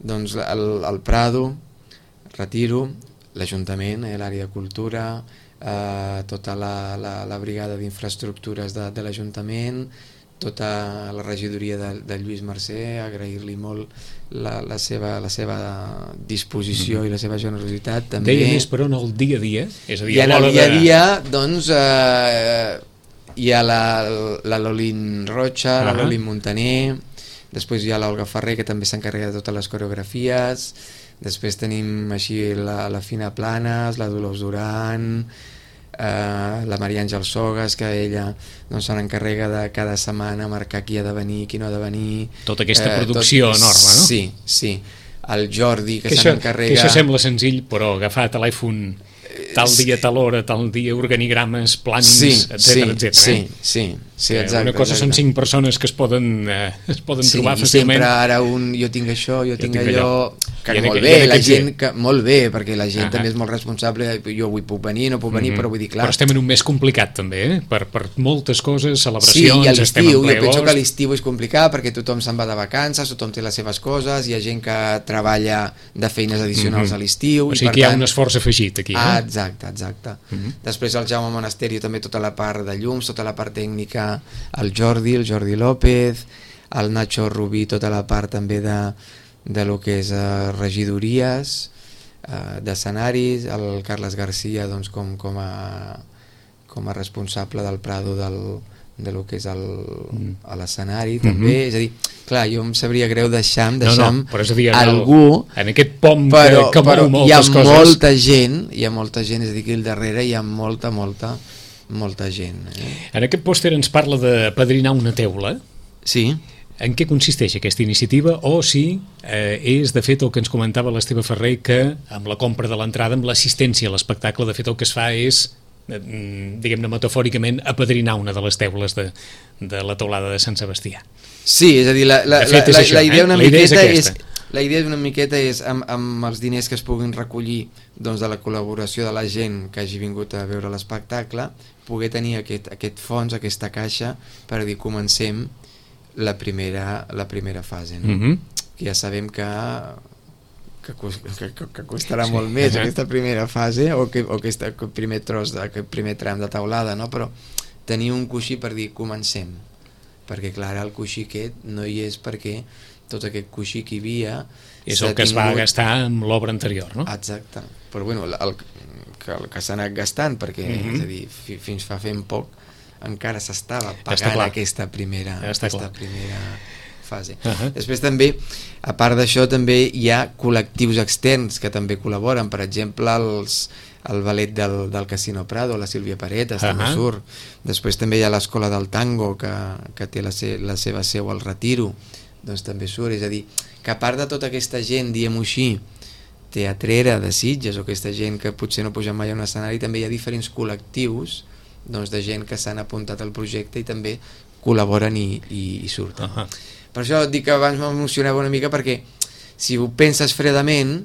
[SPEAKER 3] doncs el, el Prado, Retiro, l'Ajuntament, eh, l'àrea de cultura, eh, tota la, la, la brigada d'infraestructures de, de l'Ajuntament, tota la regidoria de, de Lluís Mercè, agrair-li molt la, la, seva, la seva disposició mm-hmm. i la seva generositat. També.
[SPEAKER 2] Deia més, però, en el dia a dia? És a dir,
[SPEAKER 3] I en
[SPEAKER 2] a
[SPEAKER 3] el
[SPEAKER 2] de...
[SPEAKER 3] dia a dia, doncs, eh, hi ha la, la Lolin Rocha, uh-huh. la Lolin Montaner, després hi ha l'Olga Ferrer, que també s'encarrega de totes les coreografies, després tenim així la, la Fina Planes, la Dolors Duran, eh, la Maria Àngel Sogas, que ella doncs, se n'encarrega de cada setmana marcar qui ha de venir, qui no ha de venir.
[SPEAKER 2] Tota aquesta eh, producció tot, enorme, no?
[SPEAKER 3] Sí, sí. El Jordi, que,
[SPEAKER 2] que
[SPEAKER 3] se n'encarrega...
[SPEAKER 2] Que això sembla senzill, però agafar telèfon tal dia, tal hora, tal dia, organigrames, plans,
[SPEAKER 3] sí,
[SPEAKER 2] etcètera,
[SPEAKER 3] sí,
[SPEAKER 2] etcètera.
[SPEAKER 3] Sí, sí, sí, exacte.
[SPEAKER 2] Una cosa
[SPEAKER 3] exacte.
[SPEAKER 2] Són cinc persones que es poden, eh, es poden
[SPEAKER 3] sí,
[SPEAKER 2] trobar
[SPEAKER 3] fàcilment.
[SPEAKER 2] Sí, i
[SPEAKER 3] sempre ara un, jo tinc això, jo, jo tinc, tinc allò... allò que
[SPEAKER 2] I
[SPEAKER 3] molt
[SPEAKER 2] aqu-
[SPEAKER 3] bé, la
[SPEAKER 2] aquell
[SPEAKER 3] gent que, molt bé, perquè la gent
[SPEAKER 2] Ah,
[SPEAKER 3] també
[SPEAKER 2] ah.
[SPEAKER 3] és molt responsable, jo avui puc venir, no puc venir,
[SPEAKER 2] Mhm.
[SPEAKER 3] però vull dir, clar...
[SPEAKER 2] Però estem en un mes complicat també, eh? per, per moltes coses,
[SPEAKER 3] Sí,
[SPEAKER 2] celebracions,
[SPEAKER 3] i a
[SPEAKER 2] estem
[SPEAKER 3] l'estiu,
[SPEAKER 2] en ple
[SPEAKER 3] jo penso que
[SPEAKER 2] agost.
[SPEAKER 3] l'estiu és complicat perquè tothom se'n va de vacances, tothom té les seves coses, hi ha gent que treballa de feines addicionals
[SPEAKER 2] Mhm.
[SPEAKER 3] a l'estiu...
[SPEAKER 2] O
[SPEAKER 3] i
[SPEAKER 2] sigui
[SPEAKER 3] per
[SPEAKER 2] que hi ha
[SPEAKER 3] tant,
[SPEAKER 2] un esforç afegit aquí.
[SPEAKER 3] Ah,
[SPEAKER 2] Eh?
[SPEAKER 3] Exacte, exacte. Uh-huh. Després el Jaume Monasterio també tota la part de llums, tota la part tècnica, el Jordi, el Jordi López, el Nacho Rubí, tota la part també de, de lo que és uh, regidories, uh, d'escenaris, el Carles Garcia doncs, com, com, a, com a responsable del Prado del, de lo que és el, a l'escenari també, mm-hmm. és a dir, clar, jo em sabria greu deixar, deixar
[SPEAKER 2] no, no, però és a dir,
[SPEAKER 3] algú
[SPEAKER 2] en aquest pom
[SPEAKER 3] però,
[SPEAKER 2] que, que
[SPEAKER 3] però
[SPEAKER 2] mou
[SPEAKER 3] hi ha
[SPEAKER 2] moltes coses.
[SPEAKER 3] molta gent, hi ha molta gent, és a dir, que al darrere hi ha molta, molta, molta gent. Eh?
[SPEAKER 2] En aquest pòster ens parla de padrinar una teula.
[SPEAKER 3] Sí.
[SPEAKER 2] En què consisteix aquesta iniciativa o si eh, és de fet el que ens comentava l'Esteve Ferrer, que amb la compra de l'entrada, amb l'assistència a l'espectacle, de fet el que es fa és, diguem-ne metafòricament, apadrinar una de les teules de, de la teulada de Sant Sebastià.
[SPEAKER 3] Sí, és a dir, la, la,
[SPEAKER 2] fet,
[SPEAKER 3] la, la,
[SPEAKER 2] això,
[SPEAKER 3] la idea una
[SPEAKER 2] eh? la idea
[SPEAKER 3] miqueta
[SPEAKER 2] és,
[SPEAKER 3] és la idea una miqueta és amb, amb els diners que es puguin recollir doncs, de la col·laboració de la gent que hagi vingut a veure l'espectacle, poder tenir aquest, aquest fons, aquesta caixa, per dir, comencem la primera, la primera fase, no? Mm-hmm. Que ja sabem que que, que, que costarà sí. molt més uh-huh. aquesta primera fase o, que, o aquest primer tros, de, aquest primer tram de taulada, no? Però tenir un coixí per dir comencem, perquè clar, el coixí aquest no hi és perquè tot aquest coixí que hi havia
[SPEAKER 2] és el que tingut... es va gastar amb l'obra anterior, no?
[SPEAKER 3] Exacte, però bueno, el, el, que, el que s'ha anat gastant, perquè uh-huh. és a dir, fi, fins fa fent poc encara s'estava pagant aquesta primera, ja aquesta primera fase. Uh-huh. Després també, a part d'això, també hi ha col·lectius externs que també col·laboren, per exemple els, el ballet del, del Casino Prado, la Sílvia Paretas, uh-huh. també surt. Després també hi ha l'Escola del Tango, que, que té la, se, la seva seu al Retiro, doncs també surt. És a dir, que a part de tota aquesta gent, diguem-ho així, teatrera de Sitges, o aquesta gent que potser no puja mai a un escenari, també hi ha diferents col·lectius doncs, de gent que s'han apuntat al projecte i també col·laboren i, i, i surten. Uh-huh. Per això et dic que abans m'emocionava una mica, perquè si ho penses fredament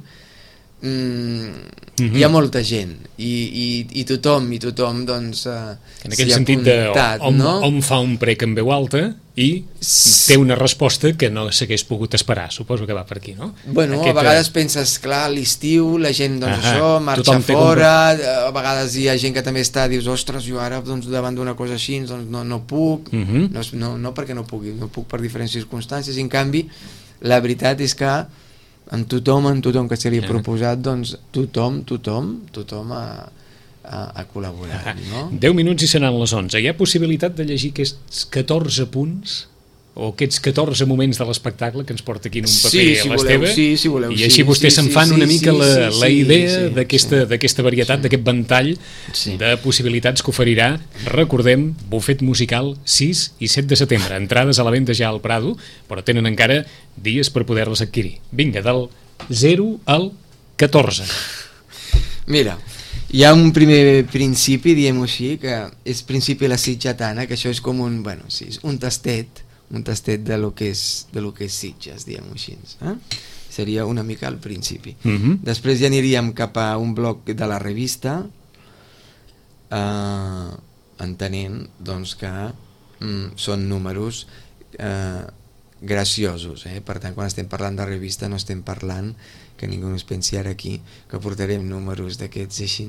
[SPEAKER 3] mm, mm-hmm. hi ha molta gent i, i, i tothom i tothom doncs uh,
[SPEAKER 2] en aquest sentit apuntat, de hom,
[SPEAKER 3] no?
[SPEAKER 2] hom fa un prec en veu alta i té una resposta que no s'hagués pogut esperar, suposo que va per aquí, no?
[SPEAKER 3] Bueno, Aquest, a vegades penses, clar, l'estiu la gent, doncs uh-huh. això, marxa fora, a vegades hi ha gent que també està, dius, ostres, jo ara doncs, davant d'una cosa així doncs, no, no puc, uh-huh. no, no, no perquè no pugui, no puc per diferents circumstàncies, i en canvi la veritat és que en tothom, en tothom que se li ha proposat, doncs tothom, tothom, tothom ha a, a col·laborar, no?
[SPEAKER 2] deu minuts i seran les onze. Hi ha possibilitat de llegir aquests catorze punts o aquests catorze moments de l'espectacle que ens porta aquí en un paper
[SPEAKER 3] sí, si
[SPEAKER 2] a l'Esteve,
[SPEAKER 3] sí, si voleu,
[SPEAKER 2] i així
[SPEAKER 3] sí,
[SPEAKER 2] vostès
[SPEAKER 3] sí,
[SPEAKER 2] se'n fan
[SPEAKER 3] sí,
[SPEAKER 2] una mica
[SPEAKER 3] sí,
[SPEAKER 2] la,
[SPEAKER 3] sí,
[SPEAKER 2] la idea
[SPEAKER 3] sí,
[SPEAKER 2] d'aquesta
[SPEAKER 3] sí.
[SPEAKER 2] d'aquesta varietat, sí. d'aquest ventall sí. de possibilitats que oferirà, recordem, bufet musical sis i set de setembre, entrades a la venda ja al Prado, però tenen encara dies per poder-les adquirir. Vinga, del zero al catorze.
[SPEAKER 3] Mira, hi ha un primer principi, diguem-ho així, que és principi la sitgetana, que això és com un, bueno, sí, un tastet, un tastet de lo que és, de lo que és Sitges, diguem-ho així. Eh? Seria una mica al principi. Uh-huh. Després ja aniríem cap a un bloc de la revista, eh, entenent doncs, que mm, són números eh, graciosos. Eh? Per tant, quan estem parlant de revista no estem parlant, que ningú no es pensi ara aquí, que portarem números d'aquests així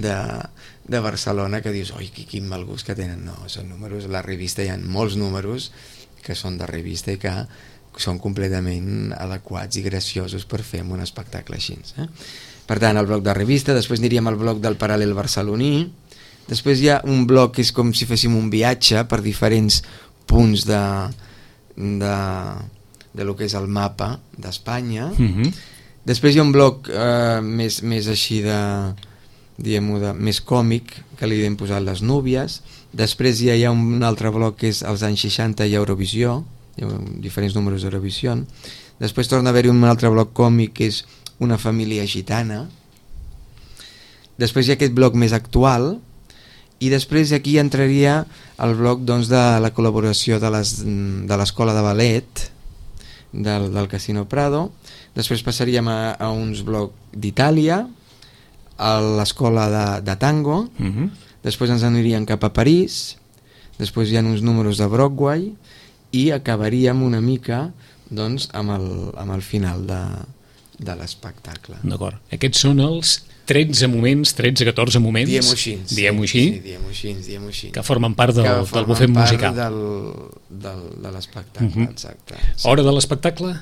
[SPEAKER 3] de, de Barcelona que dius, oi, quin mal gust que tenen. No, són números, a la revista hi ha molts números que són de revista i que són completament adequats i graciosos per fer un espectacle així. Eh? Per tant, el bloc de revista, després aniríem al bloc del paral·lel barceloní, després hi ha un bloc que és com si féssim un viatge per diferents punts de, de, de lo que és el mapa d'Espanya. Mm-hmm. Després hi ha un bloc eh, més, més així de, diguem-ho, de, més còmic, que li hem posat les núvies. Després hi ha, hi ha un altre bloc que és els anys seixanta i Eurovisió, hi ha diferents números d'Eurovisió. Després torna a haver-hi un altre bloc còmic que és una família gitana. Després hi ha aquest bloc més actual, i després aquí entraria el bloc doncs, de la col·laboració de l'escola de, de ballet del, del Casino Prado. Després passaríem a, a uns blocs d'Itàlia, a l'escola de, de tango, uh-huh. després ens aniríem cap a París, després hi ha uns números de Broadway i acabaríem una mica doncs, amb, el, amb el final de, de l'espectacle.
[SPEAKER 2] D'acord. Aquests són els tretze moments, tretze catorze moments,
[SPEAKER 3] diem-ho així,
[SPEAKER 2] diem-ho així,
[SPEAKER 3] sí, diem-ho així, diem-ho així,
[SPEAKER 2] que formen part del,
[SPEAKER 3] que
[SPEAKER 2] del bufet musical.
[SPEAKER 3] del, del, de l'espectacle, uh-huh. exacte. Sí.
[SPEAKER 2] Hora de l'espectacle?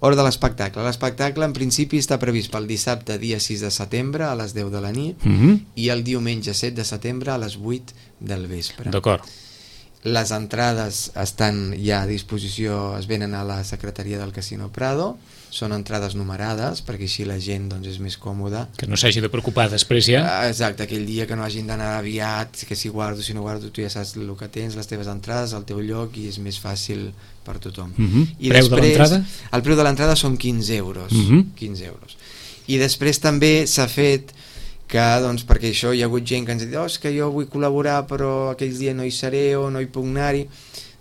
[SPEAKER 3] Hora de l'espectacle. L'espectacle en principi està previst pel dissabte dia sis de setembre a les deu de la nit
[SPEAKER 2] uh-huh.
[SPEAKER 3] i el diumenge set de setembre a les vuit del vespre.
[SPEAKER 2] D'acord.
[SPEAKER 3] Les entrades estan ja a disposició, es venen a la secretaria del Casino Prado, són entrades numerades perquè així la gent doncs, és més còmoda.
[SPEAKER 2] Que no s'hagi de preocupar després ja.
[SPEAKER 3] Exacte, aquell dia que no hagin d'anar aviat, que si guardo, si no guardo, tu ja saps el que tens, les teves entrades, el teu lloc i és més fàcil per tothom.
[SPEAKER 2] Uh-huh.
[SPEAKER 3] I
[SPEAKER 2] preu
[SPEAKER 3] després,
[SPEAKER 2] de l'entrada?
[SPEAKER 3] El preu de l'entrada són quinze euros.
[SPEAKER 2] Uh-huh.
[SPEAKER 3] quinze euros. I després també s'ha fet que, doncs, perquè això hi ha hagut gent que ens ha dit oh, és que jo vull col·laborar però aquells dies no hi seré o no hi puc anar-hi,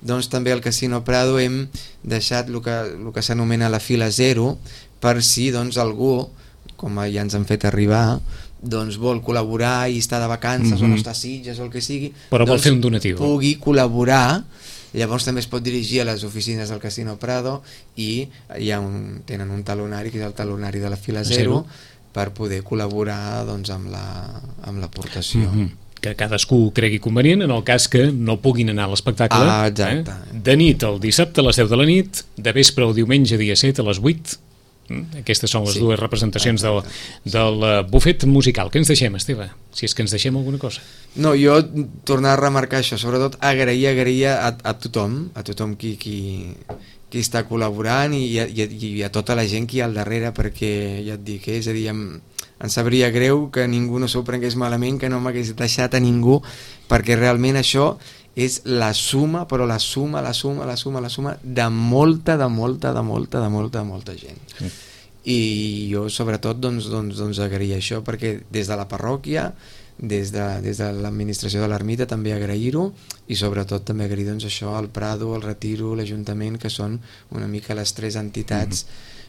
[SPEAKER 3] doncs també al Casino Prado hem deixat el que, el que s'anomena la fila zero per si doncs, algú, com ja ens han fet arribar, doncs vol col·laborar i està de vacances mm-hmm. o no està a Sitges o el que sigui,
[SPEAKER 2] però vol
[SPEAKER 3] doncs,
[SPEAKER 2] fer un donatiu,
[SPEAKER 3] pugui col·laborar. Llavors també es pot dirigir a les oficines del Casino Prado i hi ha un, tenen un talonari que és el talonari de la fila zero, zero. per poder col·laborar doncs, amb la, amb l'aportació.
[SPEAKER 2] Mm-hmm. Que cadascú cregui convenient en el cas que no puguin anar a l'espectacle.
[SPEAKER 3] Ah, exacte.
[SPEAKER 2] Eh? De nit el dissabte a les deu de la nit, de vespre el diumenge dia set a les vuit. Aquestes són les sí. dues representacions del, del bufet musical. Què ens deixem, Esteve? Si és que ens deixem alguna cosa.
[SPEAKER 3] No, jo tornar a remarcar això, sobretot agrair, agrair a, a tothom, a tothom qui, qui, qui està col·laborant i, i, i a tota la gent que hi ha al darrere, perquè ja et dic, eh? És a dir, em, em sabria greu que ningú no s'ho prengués malament, que no m'hagués deixat a ningú, perquè realment això és la suma, però la suma, la suma, la suma, la suma de molta, de molta, de molta, de molta, de molta gent. Sí. I jo sobretot doncs, doncs, doncs agrair això, perquè des de la parròquia, des de, des de l'administració de l'ermita també agrair-ho, i sobretot també agrair doncs, això al Prado, al Retiro, l'Ajuntament, que són una mica les tres entitats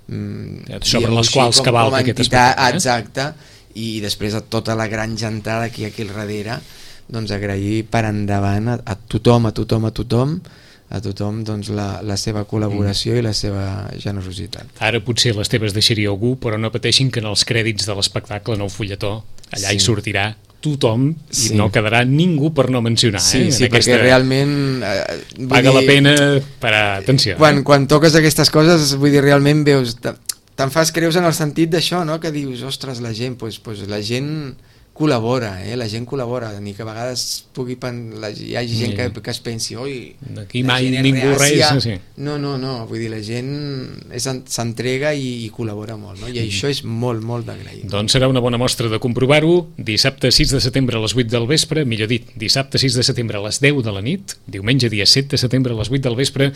[SPEAKER 2] mm-hmm. sobre les quals cavalca aquest espectacle.
[SPEAKER 3] Eh? Exacte, i després a tota la gran gentada que hi ha aquí al darrere, doncs agrair per endavant a, a tothom, a tothom, a tothom, a tothom doncs, la, la seva col·laboració mm. i la seva generositat.
[SPEAKER 2] Ara potser les teves deixaria algú, però no pateixin que en els crèdits de l'espectacle, en el fulletó, allà sí. hi sortirà tothom i sí. no quedarà ningú per no mencionar.
[SPEAKER 3] Sí,
[SPEAKER 2] eh?
[SPEAKER 3] sí,
[SPEAKER 2] aquesta...
[SPEAKER 3] perquè realment... Eh,
[SPEAKER 2] paga
[SPEAKER 3] dir,
[SPEAKER 2] la pena per a... atenció.
[SPEAKER 3] Quan,
[SPEAKER 2] eh?
[SPEAKER 3] quan toques aquestes coses, vull dir, realment veus... Te'n fas creus en el sentit d'això, no? Que dius, ostres, la gent, pues, pues, la gent col·labora, eh? La gent col·labora, ni que a vegades pugui pen... la... hi hagi gent sí. que, que es pensi, oi,
[SPEAKER 2] d'aquí mai ningú res, sí.
[SPEAKER 3] no, no, no, vull dir, la gent s'entrega i, i col·labora molt, no? I mm. això és molt, molt d'agrair.
[SPEAKER 2] Doncs serà una bona mostra de comprovar-ho. Dissabte sis de setembre a les vuit del vespre, millor dit, dissabte sis de setembre a les deu de la nit, diumenge dia set de setembre a les vuit del vespre,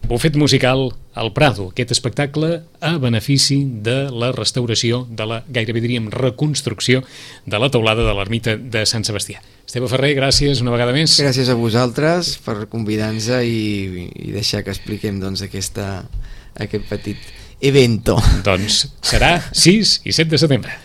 [SPEAKER 2] bufet musical al Prado, aquest espectacle a benefici de la restauració, de la, gairebé diríem, reconstrucció de la teulada de l'ermita de Sant Sebastià. Esteve Ferrer, gràcies una vegada més.
[SPEAKER 3] Gràcies a vosaltres per convidar-nos i, i deixar que expliquem doncs, aquesta, aquest petit evento.
[SPEAKER 2] Doncs serà sis i set de setembre.